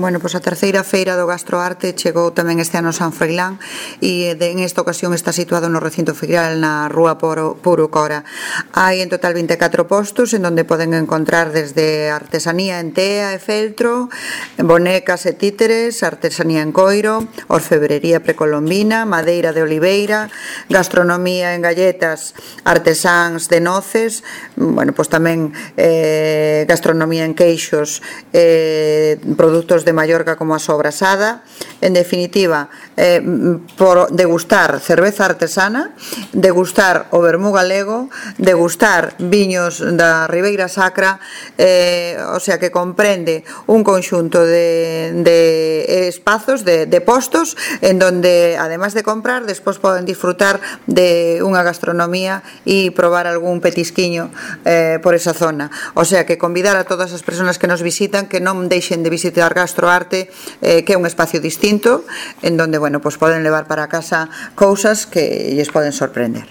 Bueno, pois a terceira feira do Gastroarte chegou tamén este ano a San Froilán e en esta ocasión está situado no recinto feiral na rúa Purucora. Hai en total 24 postos en donde poden encontrar desde artesanía en tea e feltro, bonecas e títeres, artesanía en coiro, orfebrería precolombina, madeira de oliveira, gastronomía en galletas, artesáns de noces, bueno, pois tamén gastronomía en queixos, produtos de Mallorca como a sobrasada. En definitiva, por degustar cerveza artesana, degustar o vermú galego, degustar viños da Ribeira Sacra, o sea que comprende un conxunto de espazos, de postos, en donde, además de comprar, despois poden disfrutar de unha gastronomía e probar algún petisquiño por esa zona. O sea que convidar a todas as persoas que nos visitan que non deixen de visitar Gastroarte, que é un espacio distinto en donde, bueno, pues poden levar para casa cousas que lles poden sorprender.